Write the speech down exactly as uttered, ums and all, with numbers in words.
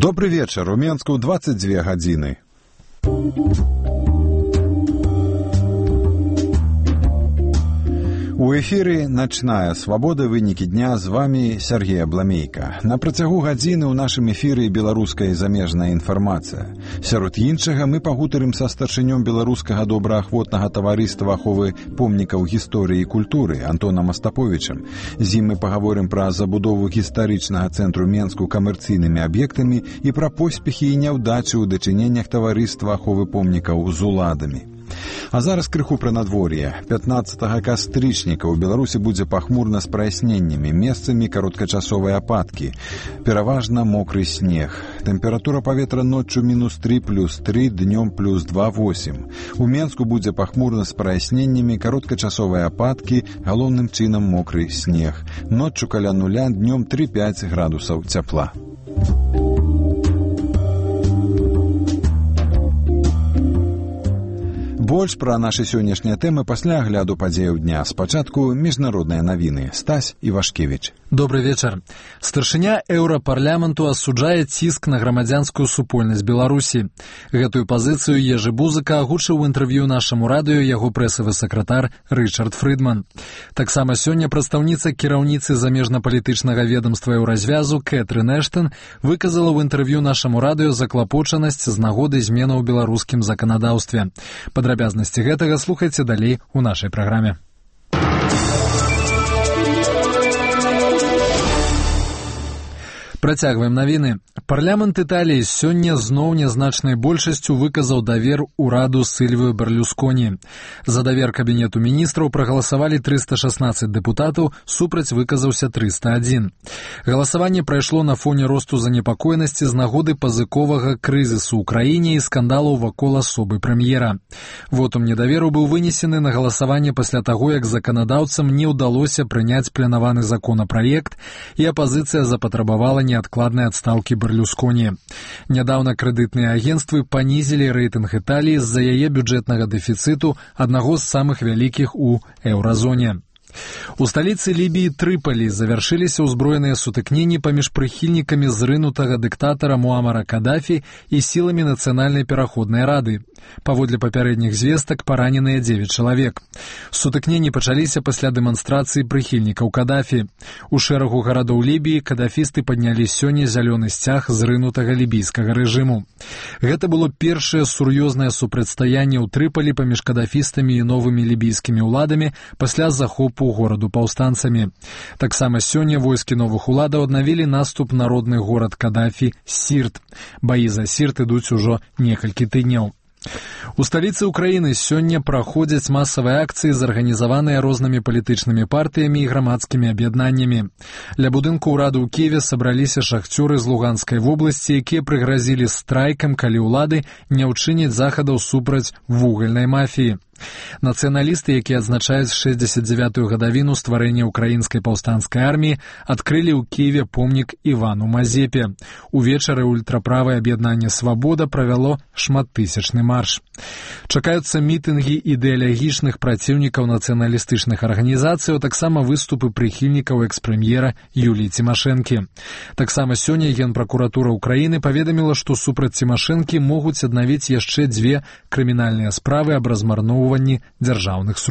Добры вечар. У Менску двадцать две гадзіны. У эфіры «Начная свабода. Вынікі дня». З вами Сергей Абламейка. На працягу гадзіны ў нашым эфіры беларуская і замежная інфармацыя. Сярод іншага мы пагутарым са старшынём беларускага добраахвотнага таварыства аховы помнікаў гісторыі і культуры Антонам Астаповічам. З ім мы пагаворым пра забудову гістарычнага цэнтру Менску камерцыйнымі аб'ектамі і пра поспехі і няўдачы ў дачыненнях таварыства аховы помнікаў з уладамі. А зараз крыху пра надвор'е. пятнаццатага кастрычніка ў Беларусі будзе пахмурна з праясненнямі, месцамі кароткачасовыя ападкі. Пераважна мокры снег. Тэмпература паветра ноччу мінус тры плюс тры, днём плюс два восемь. У Менску будзе пахмурна з праясненнямі, кароткачасовыя ападкі, галоўным чынам мокры снег. Ноччу каля нуля, днём тры-пяць градусаў цяпла. Больш пра нашы сённяшнія тэмы пасля агляду падзеяў дня. Спачатку міжнародныя навіны. Стась Івашкевіч. Добры вечар. Старшыня Еўрапарламенту асуджае ціск на грамадзянскую супольнасць Беларусі. Гэтую пазіцыю Ежы Бузыка агучыў у інтэрв'ю нашаму радыё яго прэсавы сакратар Рычард Фрыдман. Таксама сёння прадстаўніца кіраўніцы замежна-палітычнага ведамства Еўразвязу Кэтрын Эштон выказала ў інтэрв'ю нашаму радыё заклапочанасць з нагоды зменаў у беларускім заканадаўстве. Падрабязнасці гэтага слухайце далей у нашай праграме. Працягваем навіны. Парламент Італіі сёння зноў нязначнай большасцю выказаў давер ураду Сільвіо Берлюсконі. За давер кабінету міністраў прагаласавалі трыста шаснаццаць дэпутатаў, супраць выказаўся трыста адзін. Галасаванне прайшло на фоне росту занепакоенасці з нагоды пазыковага крызісу ў краіне і скандалаў вакол асобы прэм'ера. Вотум недаверу быў вынесены на галасаванне пасля таго, як заканадаўцам не ўдалося прыняць планаваны законапраект, і апазіцыя запатрабавала неадкладнай адстаўкі Берлюсконі. Нядаўна крэдытныя агенцтвы панізілі рэйтынг Італіі з-за яе бюджэтнага дэфіцыту, аднаго з самых вялікіх у еўразоне. У сталіцы Лібіі Трыпалі завяршыліся ўзброеныя сутыкненні паміж прыхільнікамі зрынутага дыктатара Муамара Кадафі і сіламі Нацыянальнай пераходнай рады. Паводле папярэдніх звестак параненыя дзевяць чалавек. Сутыкненні пачаліся пасля дэманстрацыі прыхільнікаў Кадафі. У шэрагу гарадоў Лібіі кадафісты паднялі сёння зялёны сцяг зрынутага лібійскага рэжыму. Гэта было першае сур'ёзнае супрацьстаянне ў Трыпалі паміж кадафістамі і новымі лібійскімі ўладамі пасля захопу гораду паўстанцамі. Таксама сёння войскі новых уладаў аднавілі наступ на родны горад Кадафі Сірт. Баі за Сірт ідуць ужо некалькі тыдняў. У сталіцы ўкраіны сёння праходзяць масавыя акцыі, зарганізаваныя рознымі палітычнымі партыямі і грамадскімі аб'яднаннямі. Ля будынку ўраду ў Кіеве сабраліся шахцёры з Луганскай вобласці, якія прыгразілі страйкам, калі ўлады не ўчыняць захадаў супраць вугальнай мафіі. Нацыяналісты, якія адзначаюць шэсцьдзесят дзявятую гадавіну стварэння ўкраінскай паўстанцкай арміі, адкрылі ў Кіеве помнік Івану Мазепе. Увечары ультраправае аб'яднанне «Свабода» правяло шматтысячны марш. Чакаюцца мітынгі ідэалагічных праціўнікаў нацыяналістычных арганізацый, а таксама выступы прыхільнікаў экс-прэм'ера Юліі Цімашэнкі. Таксама сёння Генпракуратура ўкраіны паведаміла, што супраць Цімашэнкі могуць аднавіць яшчэ дзве крымінальныя справы аб размарноўванні дзяржаўных сродкаў.